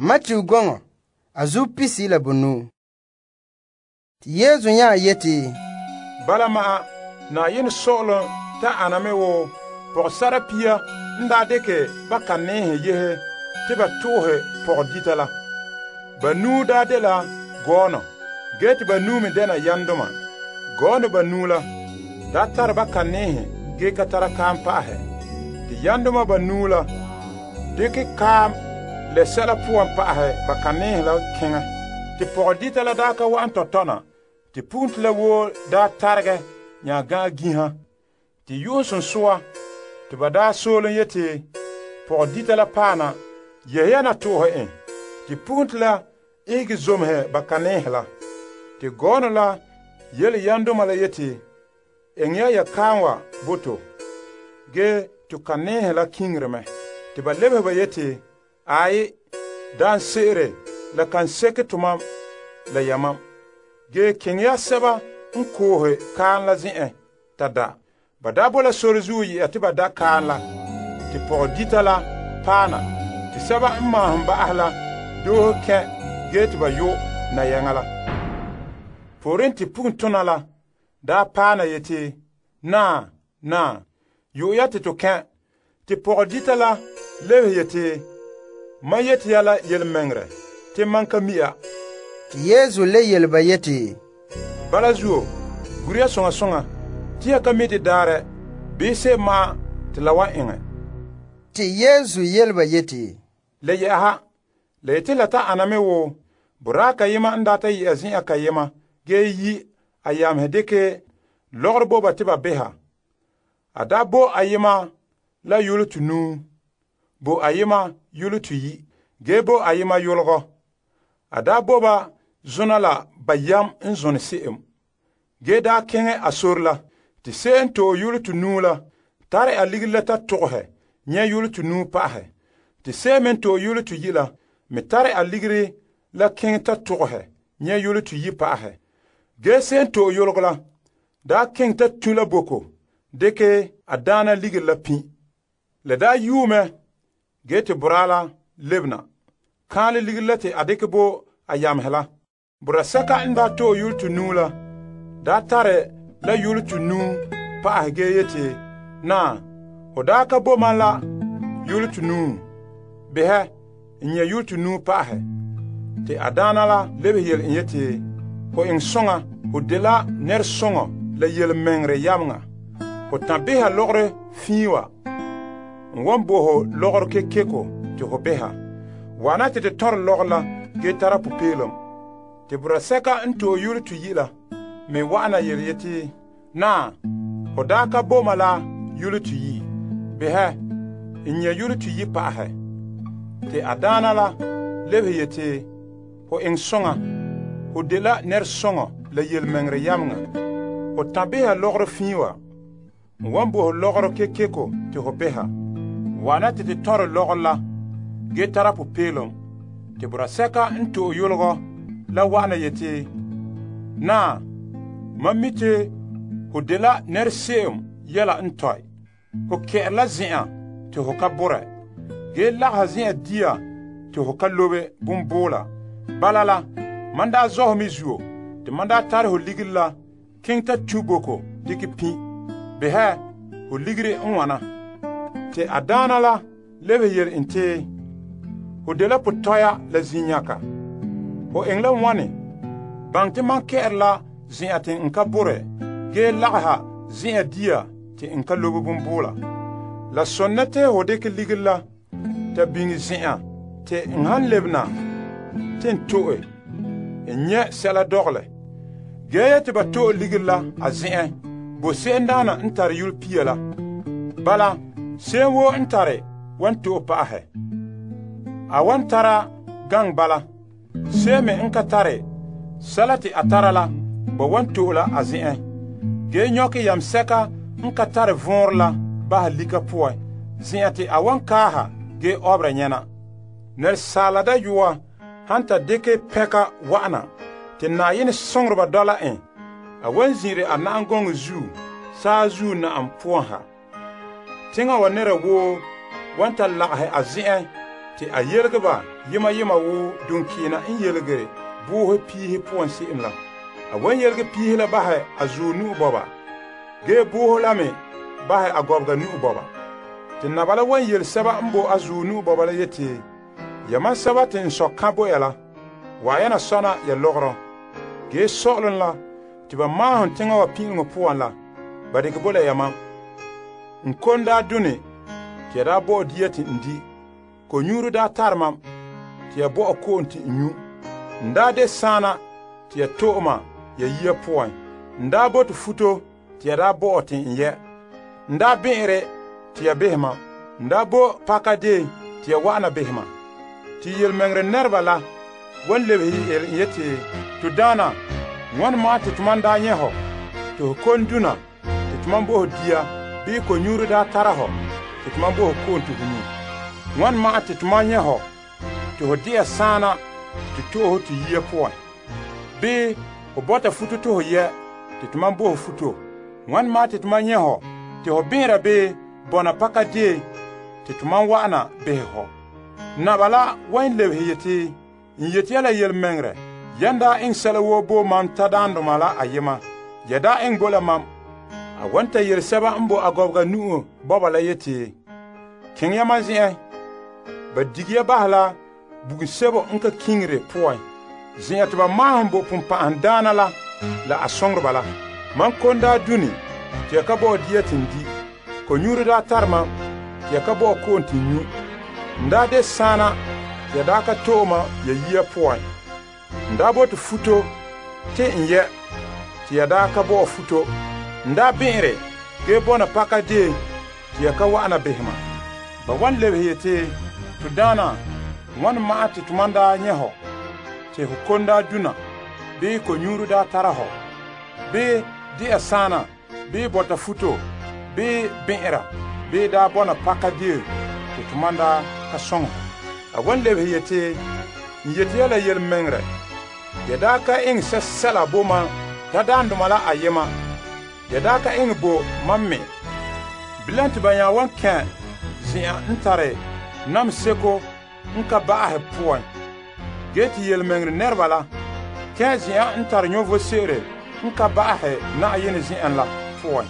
Matthew gɔŋɔ a zuo pisi la bonuu. Te Yesu nya yeti, Bala ma'a, Na'ayenɛ sɔ'ɔlom ta ana me wo pɔgɔsara pia n daa dekɛ ba kaneehe yehe te ba to'ohe pɔgɔdita la. Banuu daa dela gɔɔnɔ, ge te banuu me dɛna yamdoma. Gɔɔnɔ banuu la daa tare ba kaneehe ge ka tara kaam pa'ahɛ. Te yamdoma banuu la dekɛ kaam le sɛla poan pa'ahɛ ba kaneehe la keŋɛ. Te pɔgɔdita la daa ka wa'an tɔtɔna. Te pugunto la woo daa taregɛ nya gã'a ginha. Te yu'um sonsoa te ba daa soolom yeti pɔgɔdita la paana yehe ya na to'ohe en. Te pugunto la ihege zomehɛ ba kaneehe la. Te gɔɔnɔ la yele yamdoma la yeti, eŋɛ ya kaam wa bo to. Ge to kaneehe la kiŋire mɛ. Te ba lebehe ba yeti, Aayi, daan se'ere la kan seke tomam la yamam. Ge keŋɛ ya sɛba n koohe kaan la zen'en ta da. Ba daa bo la sore zuo yɛ'a te ba da kaan la. Te pɔgɔdita la paana. Te sɛba n maahom ba'ahɛ la doohe kɛn ge te ba yo' nayaŋa la. Pooren te puguntona la daa paana yeti, Naa, yo' ya te to kɛn. Te pɔgɔdita la lebehe yeti, Mam yeti ya la yelemɛŋɛrɛ te mam ka mi'a. Te Yesu le yele ba yeti, Bala zuo, guriya soŋa soŋa, te ya ka mi de daarɛ, bii se'em ma'an te la wan eŋɛ. Te Yesu yele ba yeti, Le yɛ'ɛha, la yeti la ta ana me wo boraa kayema n daa ta yɛ'a zen'an kayema ge yi a yamehe dekɛ lɔgɔrɔ bo ba te ba beha. A daa bo ayema la yolo tunuu, bo ayema yolo tuyi, ge bo ayema yologɔ. A daa bo ba zona la bayam n zone se'em. Ge daa keŋɛ a sore la, te se'em n to'e yolo tunuu la tare a ligiri la ta togehɛ nyɛ yolo tunuu pa'ahɛ. Te se'em me n to'e yolo tuyi la me tare a ligiri la keŋɛ ta togehɛ nyɛ yolo tuyi pa'ahɛ. Ge se'em n to'e yologɔ la daa keŋɛ ta tu la boko deke a daana ligiri la pi'. La daa yuu mɛ, ge te boraa la lebena, kaanle ligiri la te a dekɛ bo a yamehe la. Boraa sɛka n daa to'e yolo tunuu la daa tare la yolo tunuu pa'ahɛ ge yeti, Naa, ho daa ka bo mam la yolo tunuu. Behɛ, n nyɛ yolo tunuu pa'ahɛ. Te a daana la lebehe yele en yeti, Ho eŋɛ soŋa, ho dela nɛresoŋɔ la yelemɛŋɛrɛ yameŋa. Ho tan beha lɔgɔrɔ fii wa. N wan bo ho lɔgɔrɔ kekeko te ho beha. Wana te te tɔrɛ lɔgɔ la ge tara pupeelum. Te boraa sɛka n to'e yolo tuyi la me wa'ana yele yeti, Naa, ho daa ka bo ma la yolo tuyi. Behɛ, n nyɛ yolo tuyi pa'ahɛ. Te a daana la lebehe yeti, Ho eŋɛ soŋa, ho dela nɛresoŋɔ la yelemɛŋɛrɛ yameŋa. Ho tan beha lɔgɔrɔ fii wa. N wan bo ho lɔgɔrɔ kekeko te ho beha. Wana te te tɔrɛ lɔgɔ la ge tara pupeelum. Te boraa sɛka n to'e yologɔ la wa'ana yeti, Naa, mam mi te ho dela nɛrese'em yɛla n tɔe. Ho kɛ'ɛre la zen'an te ho ka borɛ, ge lagahɛ zen'an dia te ho ka lobe bomboola. Bala la, man daa zɔhɛ me zuo, te man daa tare ho ligiri la keŋ ta tu boko dikɛ pi'. Behɛ, ho ligiri n wana. Te a daana la lebehe yele en te, Ho dela potɔya la zinnyaka. Ho eŋɛ la wane? Baŋ te man kɛ'ɛre la zen'an te n ka borɛ, ge lagaha zen'an dia te n ka lobe bomboola. La sɔnna te ho dekɛ ligiri la ta biŋe zen'an te n han lebena te n to'e, n nyɛ sɛla dɔgelɛ. Ge yeti ba to'e ligiri la a zen'en bo se'emdaana n tare yolo pia la. Bala, se'em woo n tare wan to'e pa'ahɛ. A wan tara gaŋ bala. Se'em me n ka tare sɛla te a tara la ba wan to'e la a zen'en. Ge nyɔkɛ yamsɛka n ka tare vɔɔrɔ la baha lika poan zen'an te a wan kaaha ge ɔbera nyɛna. Nɛresaala dayɔa han ta dekɛ pɛka wa'ana te Na'ayenɛ soŋoreba dɔla en, a wan zin'ire a na'am zuo saazuo na'am poan ha. Teŋa wa nɛra woo wan ta lagahɛ a zen'en te a yelege ba yema yema wo dunkiina n yelege boohe piihe poan se'em la. A wan yelege piihe la bahɛ a zuɔ nu'u bɔba, gee boohe la me bahɛ a gɔbega nu'u bɔba. Te naba la wan yele sɛba n bo a zuɔ nu'u bɔba la yeti, yamam sɛba te n sɔ ka bo ya la, wa yana sɔna ya lɔgɔrɔ. Gee sɔ'ɔlom la te ba maahom teŋa wa pin'iŋo poan la, ba dekɛ bo la yamam. N kon daa done te ya daa bɔ'ɔ dia te n di. Konyuuro daa tare mam te ya bɔ'ɔ ko'om te n nyu. N daa de saana te ya to'e ma ya yia poan. N daa bote futo te ya daa bɔ'ɔ te n yɛ. N daa bɛ'ɛre te ya behɛ mam. N daa bo pakadeen te ya wa'ana behɛ mam. Te yelemɛŋɛrɛ nɛreba la wan lebehe yele n yeti, to daana, ŋwane ma'an te tomam daa nyɛ hɔ te ho kon duna te tomam bo ho dia bii konyuuro daa tara hɔ te tomam bo ho ko'om te ho nyu? Ŋwane ma'an te tomam nyɛ hɔ te ho de'a saana te to'e ho te yia poan? Bii ho bɔta futo te ho yɛ te tomam bo ho futo? Ŋwane ma'an te tomam nyɛ hɔ te ho bẽera bii bɔna pakadeen te tomam wa'ana behɛ hɔ? Naba la wan lebehe yeti, n yeti ya la yelemɛŋɛrɛ, yan daa eŋɛ sɛla woo bo mam tadaandoma la ayema, ya daa eŋɛ bo la mam. A wan ta yele sɛba n bo a gɔbega nu'u bɔba la yeti, keŋɛ ya mam zen'en. Ba dige ya bahɛ la bugum sebo n ka kiŋire poan, zen'an te ba maahom bo pumpa'ahadaana la a soŋoreba la. Mam kon daa dune te ya ka bɔ'ɔ dia te n di. Konyuuro daa tare mam te ya ka bɔ'ɔ ko'om te n nyu. N daa de saana te ya daa ka to'e ma ya yia poan. N daa bote futo te n yɛ te ya daa ka bɔ'ɔ futo. N daa bẽ'ere gee bɔna pakadeen te ya ka wa'ana behɛ mam. Ba wan lebehe yeti, to daana, ŋwane ma'an te tomam daa nyɛ hɔ te ho kon daa duna bii konyuuro daa tara hɔ, bii de'a saana bii bɔta futo bii bẽ'era bii daa bɔna pakadeen te tomam daa ka sõŋ hɔ? A wan lebehe yeti, n yeti ya la yelemɛŋɛrɛ, ya daa ka eŋɛ sɛsɛla bo mam tadaandoma la ayema, ya daa ka eŋɛ bo mam me. Bilam te ba nya wan kẽ zen'an n tare nam seko n ka ba'ahɛ poan. Gee te yelemɛŋɛrɛ nɛreba la kẽ zen'an n tare yɔvo se'ere n ka ba'ahɛ Na'ayenɛ zen'an la poan.